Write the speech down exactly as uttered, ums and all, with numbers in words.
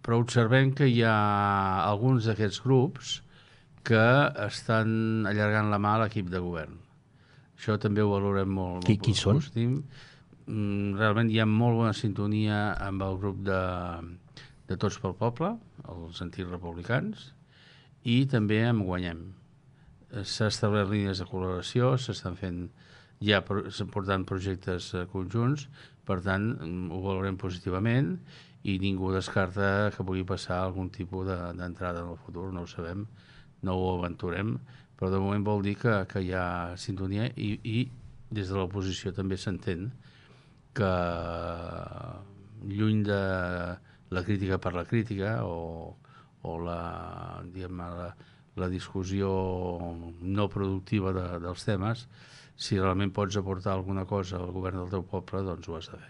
però observem que hi ha alguns d'aquests grups que estan allargant la mà a l'equip de govern. Això també ho valorem molt, Qui, molt qui són? positiu. Mm, realment hi ha molt bona sintonia amb el grup de, de Tots pel Poble, els antics republicans, i també amb Guanyem. S'ha establert línies de col·laboració, s'estan fent ja s'han portant projectes conjunts, per tant ho valorem positivament i ningú descarta que pugui passar algun tipus d'entrada en el futur, no ho sabem, no ho aventurem, però de moment vol dir que, que hi ha sintonia i, i des de l'oposició també s'entén que lluny de la crítica per la crítica o, o la, diguem, la, la discussió no productiva de, dels temes, si realment pots aportar alguna cosa al govern del teu poble, doncs ho has de fer.